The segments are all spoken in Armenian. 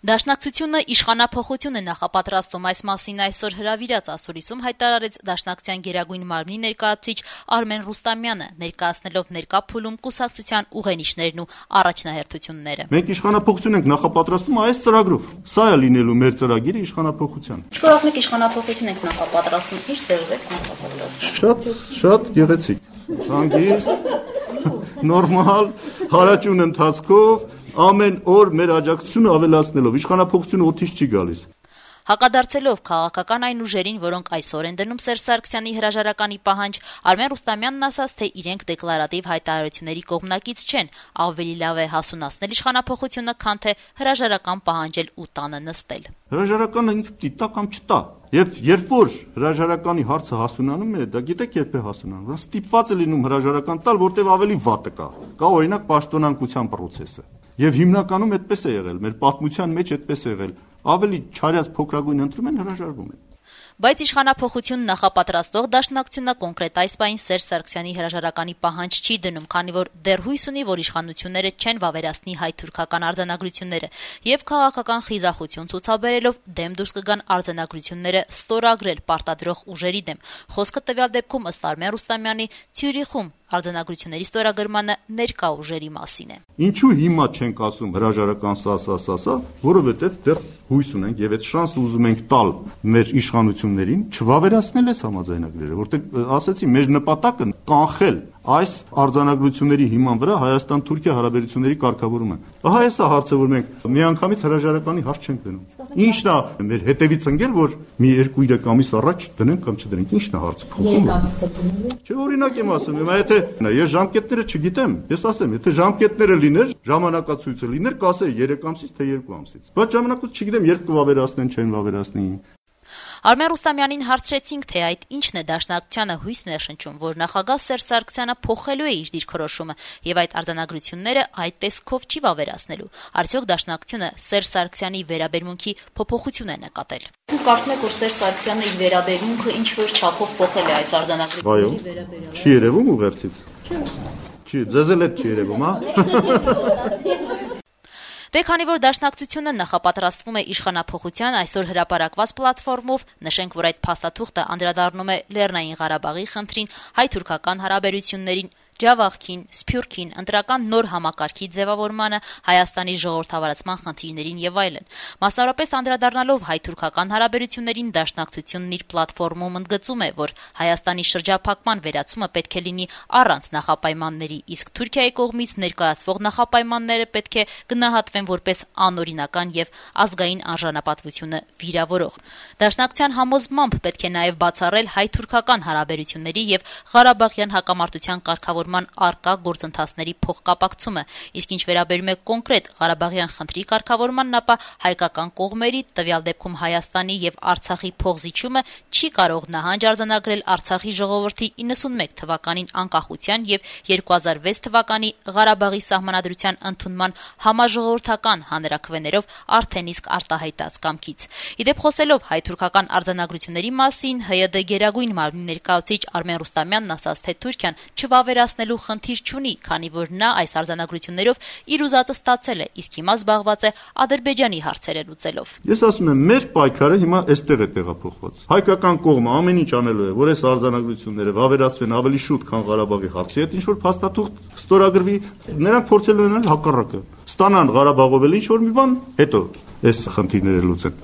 Դաշնակցությունը իշխանափոխություն է նախապատրաստում, այս մասին այսօր հրավիրած ասուլիսում հայտարարեց Դաշնակցության գերագույն մարմնի ներկայացուցիչ Արմեն Ռուստամյանը, ներկայացնելով ներկա փուլում կուսակցության ուղենիշներն ու առաջնահերթությունները։ Մենք իշխանափոխություն ենք նախապատրաստում այս ծրագրով։ Սա է լինելու մեր ծրագիրը իշխանափոխության։ Ինչ-որ ասում եք իշխանափոխություն ենք նախապատրաստում, ինչ ձևով եք նախապատրաստում։ Շատ գեղեցիկ, հանգիստ, նորմալ, հարաճուն ընթացքով, ամեն օր մեր աջակցությունը ավելացնելով, իշխանափոխությունը օդից չի գալիս։ Հակադարձելով քաղաքական այն ուժերին, որոնք այսօր են դնում Սերժ Սարգսյանի հրաժարականի պահանջ, Արմեն Ռուստամյանն ասաց, թե իրենք դեկլարատիվ հայտարարությունների կողմնակից չեն, ավելի լավ է հասունացնել իշխանափոխությունը, քան թե հրաժարական պահանջել ու տանը նստել։ Հրաժարականը ինքը տա կամ չտա։ Եվ երբ որ հրաժարականի հարցը հասունանում է, դա գիտեք երբ է հասունանում, ստիպված է լինում հրաժարական տալ, որտեղ ավելի վատը կա օրինակ պաշտոնանկության process-ը։ Եվ հիմնականում այդպես է եղել, մեր պատմության մեջ այդպես է եղել, ավելի չարյաց փոքրագույն ընտրում են, հրաժարվում են։ Բայց իշխանափոխություն նախապատրաստող Դաշնակցությունը կոնկրետ այս պահին Սերժ Սարգսյանի հրաժարականի պահանջ չի դնում, քանի որ դեռ հույս ունի, որ իշխանությունները չեն վավերացնի հայ-թուրքական արձանագրությունները եւ քաղաքական խիզախություն ցուցաբերելով դեմ դուրս կգան արձանագրությունները ստորագրել պարտադրող ուժերի դեմ։ Խոսքը տվյալ դեպքում ըստ Արմեն Ռուստամյանի Ցյուրիխում արձանագրությունների ստորագրմանը ներկա ուժերի մասին է։ Ինչու հիմա չենք ասում հրաժարական սա, որովհետև դեռ հույս ունենք եւ այդ շանսը ուզում ենք տալ մեր իշխանություններին չվավերացնել այս համաձայնագրերը, որտեղ ասեցի մեր նպատակը կանխել այս արձանագրությունների հիման վրա Հայաստան-Թուրքիա հարաբերությունների կարգավորումը։ Ահա այս է հարցը, որ մենք միանգամից հրաժարականի հարց չենք դնում։ Ինչն է մեր հետևից ընկել, որ մի 2-3 ամիս առաջ դնենք կամ չդնենք, ինչն է հարցը փոխում։ 3 ամսից դնում։ Չէ, օրինակ եմ ասում, հիմա եթե ես ժամկետները չգիտեմ, ես ասեմ, եթե ժամկետները լիներ, ժամանակացույցը լիներ, կասեի 3 ամսից թե 2 ամսից։ Բայց ժամանակացույց չգիտեմ, երբ կվավերացնեն, չեն վավերացնի։ Արմեն Ռուստամյանին հարցրեցինք, թե այդ ինչն է Դաշնակցությանը հույսն է շնչում, որ նախագահ Սերժ Սարգսյանը փոխելու է իր դիրքորոշումը եւ այդ արձանագրությունները այդ տեսքով չի վավերացնելու։ Արդյոք Դաշնակցությունը Սերժ Սարգսյանի վերաբերմունքի փոփոխություն է նկատել։ Դուք կարծում եք, որ Սերժ Սարգսյանը իր վերաբերմունքը ինչ-որ չափով փոխել է այս արձանագրությունների վերաբերյալ։ Չի երևում ուղերձից։ Չի, ձեզ էլ չի երևում, հա։ Դե քանի որ Դաշնակցությունը նախապատրաստվում է իշխանափոխության այսօր հրապարակված պլատֆորմով, նշենք, որ այդ փաստաթուղթը անդրադառնում է Լեռնային Ղարաբաղի խնդրին, հայ-թուրքական հարաբերություններին, Ջավախքին, Սփյուռքին, ընտրական նոր համակարգի ձևավորմանը, Հայաստանի ժողովրդավարացման խնդիրներին եւ այլն։ Մասնավորապես անդրադառնալով հայ-թուրքական հարաբերություններին, Դաշնակցությունն իր պլատֆորմում ընդգծում է, որ Հայաստանի շրջափակման վերացումը պետք է լինի առանց նախապայմանների, իսկ Թուրքիայի կողմից ներկայացվող նախապայմանները պետք է գնահատվեն որպես անօրինական եւ ազգային արժանապատվությունը վիրավորող։ Դաշնակցության համոզմամբ պետք է նաեւ բացառել հայ-թուրքական հարաբերությունների եւ Ղարաբաղյան հակամարտության կարգավորման արկա գործընթացների փոխկապակցումը, իսկ ինչ վերաբերում է կոնկրետ Ղարաբաղյան խնդրի կարգավորմանն, ապա հայկական կողմերի, տվյալ դեպքում Հայաստանի եւ Արցախի փոխզիջումը չի կարող նահանջ արձանագրել Արցախի ժողովրդի 91 թվականին անկախության եւ 2006 թվականի Ղարաբաղի սահմանադրության ընդունման համաժողովրդական հանրաքվեներով արդեն իսկ արտահայտած կամքից։ Իդեպ խոսելով հայ-թուրքական արձանագրությունների մասին, ՀՅԴ գերագույն մարմնի ներկայացուցիչ Արմեն Ռուստամյանն ասաց, թե Թուրքիան չվավերացնելու խնդիր չունի, քանի որ նա այս արձանագրություններով իր ուզածը ստացել է, իսկ հիմա զբաղված է Ադրբեջանի հարցերը լուծելով։ Ես ասում եմ, մեր պայքարը հիմա այստեղ է տեղափոխված։ Հայկական կողմը ամեն ինչ անելու է, որ այս արձանագրությունները վավերացվեն ավելի շուտ, քան Ղարաբաղի հարցի հետ, ինչ որ փաստաթուղթ ստորագրվի, նրանք փորձելու են հակառակը։ Ստանան Ղարաբաղով էլ ինչ որ մի բան, հետո այս խնդիրները լուծեն։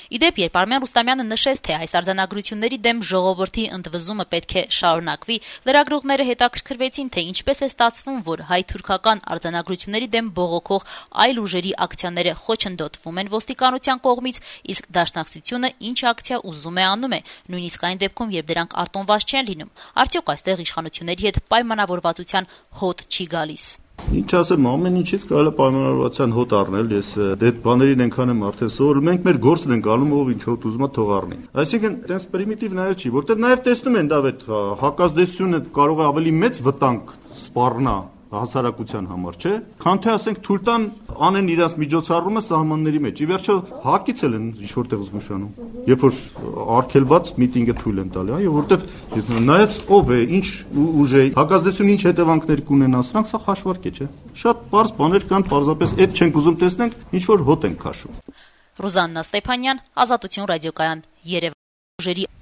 Իդեպ, երբ Արմեն Ռուստամյանը նշեց, թե այս արձանագրությունների դեմ ժողովրդի ընդվզումը պետք է շարունակվի, լրագրողները հետաքրքրվեցին, թե ինչպես է ստացվում, որ հայ-թուրքական արձանագրությունների դեմ բողոքող այլ ուժերի ակցիաները խոչընդոտվում են ոստիկանության կողմից, իսկ Դաշնակցությունը ինչ ակցիա ուզում է անում է, նույնիսկ այն դեպքում, երբ դրանք արտոնված չեն լինում։ Արդյոք այստեղ իշխանությունների հետ պայմանավորվածության հոտ չի գալիս։ Ինչ ասեմ, ամեն ինչից կարելի է պայմանավորվածության հոտ առնել, ես այդ բաներին այնքան եմ արդեն սովորում, մենք մեր գործն ենք անում, ով ինչ հոտ ուզում է թող առնի։ Այսինքն, այդպես պրիմիտիվ նայել չի, որտեղ նաև տեսնում են դա այդ հակազդեցությունը կարող է ավելի մեծ վտանգ սպառնա հասարակության համար, չէ, քան թե ասենք թույլ տան անեն իրաց միջոցառումը սահմանների մեջ։ Ի վերջո հակից էլ են ինչ-որտեղ զգուշանում, երբ որ արգելված միտինգը թույլ են տալի, այո, որտեվ նայած ով է, ինչ ուժ է, հակազդեցություն ինչ հետևանքներ կունենա, սրանք սա հաշվարկ է, չէ։ Շատ պարզ բաներ կան, պարզապես այդ չենք ուզում տեսնենք, ինչ որ հոտ ենք քաշում։ Ռուզաննա Ստեփանյան, Ազատություն ռադիոկայան, Երևան։